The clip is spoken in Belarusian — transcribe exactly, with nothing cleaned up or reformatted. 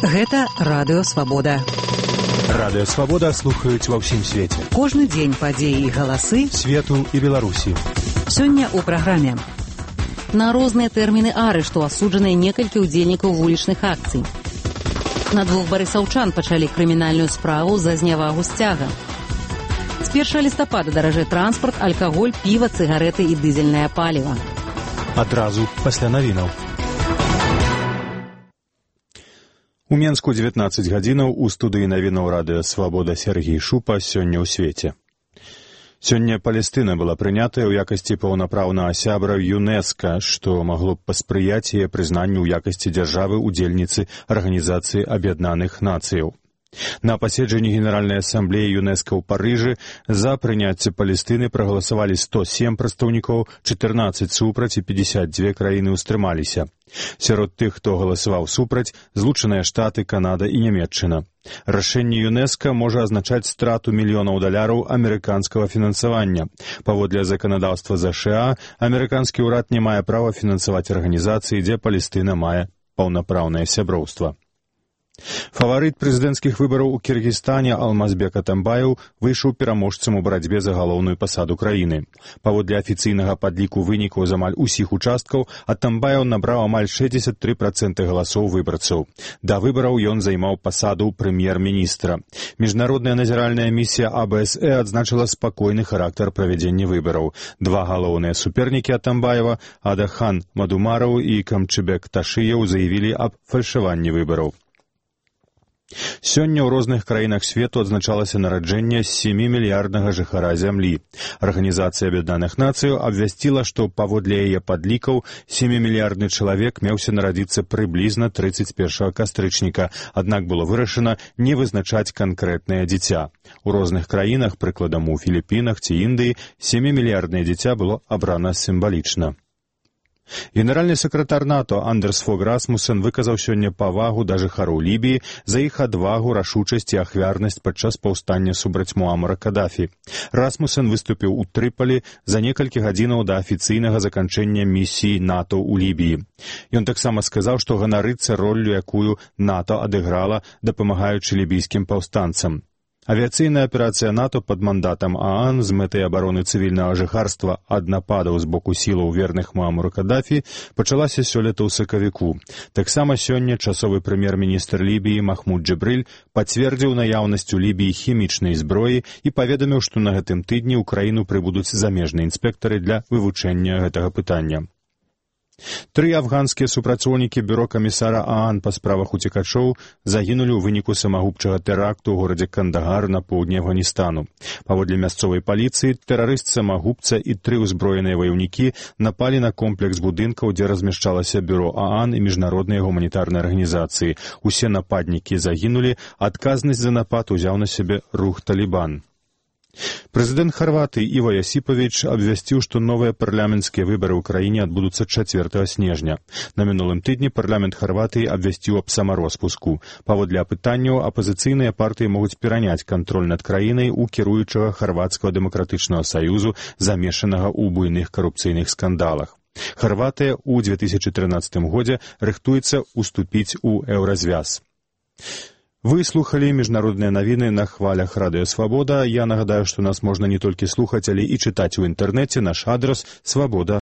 Гэта Радыё Свабода. Радыё Свабода слухаюць ва ўсім свеце. Кожны дзень падзеі і галасы свету і Беларусі. Сёння ў праграме. На розныя тэрміны арышту асуджаныя некалькі ўдзельнікаў вулічных акцый. На двух барысаўчан пачалі крымінальную справу за знявагу сцяга. З першага лістапада даражэй транспарт, алкаголь, піва, цыгарэты і дызельнае паліва. Адразу пасля навінаў. У Менску дзевятнаццаць гадзінаў, у студыі навінаў Радыё Свабода Сергей Шупа, сёння ў свеце. Сёння Палестына была прынятая ў якасці паўнапраўнага сябра ЮНЕСКО, што магло б паспрыяць яе прызнанню ў якасці дзяржавы-удзельніцы Арганізацыі Аб'яднаных Нацыяў. На паседжанні Генеральнай асамблеі ЮНЕСКО ў Парыжы за прыняцце Палестыны прагаласавалі сто сем прадстаўнікоў, чатырнаццаць супраць і пятьдесят две краіны ўстрымаліся. Сярод тых, хто галасаваў супраць, Злучаныя Штаты, Канада і Нямецчына. Рашэнне ЮНЕСКО можа азначаць страту мільёнаў даляраў амерыканскага фінансавання. Паводле заканадаўства ЗША, амерыканскі ўрад не мае права фінансаваць арганізацыі, дзе Палестына мае паўнапраўнае сяброўства. Фаварыт прэзідэнцкіх выбараў у Кіргізстане Алмазбек Атамбаев выйшаў пераможцам у барацьбе за галоўную пасаду краіны. Паводле афіцыйнага падліку вынікаў з амаль усіх участкаў, Атамбаев набраў амаль шэсцьдзесят тры працэнты галасоў выбарцаў. Да выбараў ён займаў пасаду прэм'ер-міністра. Міжнародная назіральная місія А Б С Э адзначыла спакойны характар правядзення выбараў. Два галоўныя супернікі Атамбаева, Адахан Мадумараў і Камчыбек Ташыеў, заявілі аб фальшаванні выбараў. Сёння ў розных краінах свету адзначалася нараджэнне сямімільярднага жыхара зямлі. Арганізацыя Аб'яднаных Нацыяў абвясціла, што паводле яе падлікаў сямімільярдны чалавек меўся нарадзіцца прыблізна трыццаць першага кастрычніка, аднак было вырашана не вызначаць канкрэтнае дзіця. У розных краінах, прыкладам у Філіпінах ці Індыі, сямімільярднае дзіця было абрана сімвалічна. Генеральны сакратар НАТО Андерс Фог Расмуссен выказаў сёння павагу да жыхароў Лібіі за іх адвагу, рашучасць і ахвярнасць падчас паўстання супраць Муамара Кадафі. Расмуссен выступіў у Трыполі за некалькі гадзінаў да афіцыйнага заканчэння місіі НАТО ў Лібіі. Ён таксама сказаў, што ганарыцца роллю, якую НАТО адыграла, дапамагаючы лібійскім паўстанцам. Авіяцыйная аперацыя НАТО пад мандатам ААН з мэтай абароны цывільнага жыхарства ад нападаў з боку сілаў верных Муамару Кадафі пачалася сёлета ў сакавіку. Таксама сёння часовы прэм'ер-міністр Лібіі Махмуд Джабрыль пацвердзіў наяўнасць у Лібіі хімічнай зброі і паведаміў, што на гэтым тыдні ў краіну прыбудуць замежныя інспектары для вывучэння гэтага пытання. Тры афганскія супрацоўнікі бюро камісара ААН па справах уцекачоў загінулі ў выніку самагубчага тэракту ў горадзе Кандагар на поўдні Афганістану. Паводле мясцовай паліцыі, тэрарыст-самагубца і тры ўзброеныя ваяўнікі напалі на комплекс будынкаў, дзе размяшчалася бюро ААН і міжнародныя гуманітарныя арганізацыі. Усе нападнікі загінулі, адказнасць за напад узяў на сябе рух Талібан. Прэзідэнт Харватыі Іва Ясіпавіч абвясціў, што новыя парламенцкія выбары ў краіне адбудуцца чацвёртага снежня. На мінулым тыдні парламент Харватыі абвясціў аб самароспуску. Паводле апытанняў, апазіцыйныя партыі могуць пераняць кантроль над краінай у кіруючага Харватскага дэмакратычнага саюзу, замешанага ў буйных карупцыйных скандалах. Харватыя ў две тысячы трынаццатым годзе рыхтуецца уступіць у еўразвяз. Вы слухалі міжнародныя навіны на хвалях Радыё Свабода. Я нагадаю, што нас можна не толькі слухаць, але і чытаць у інтэрнэце. Наш адрас свабода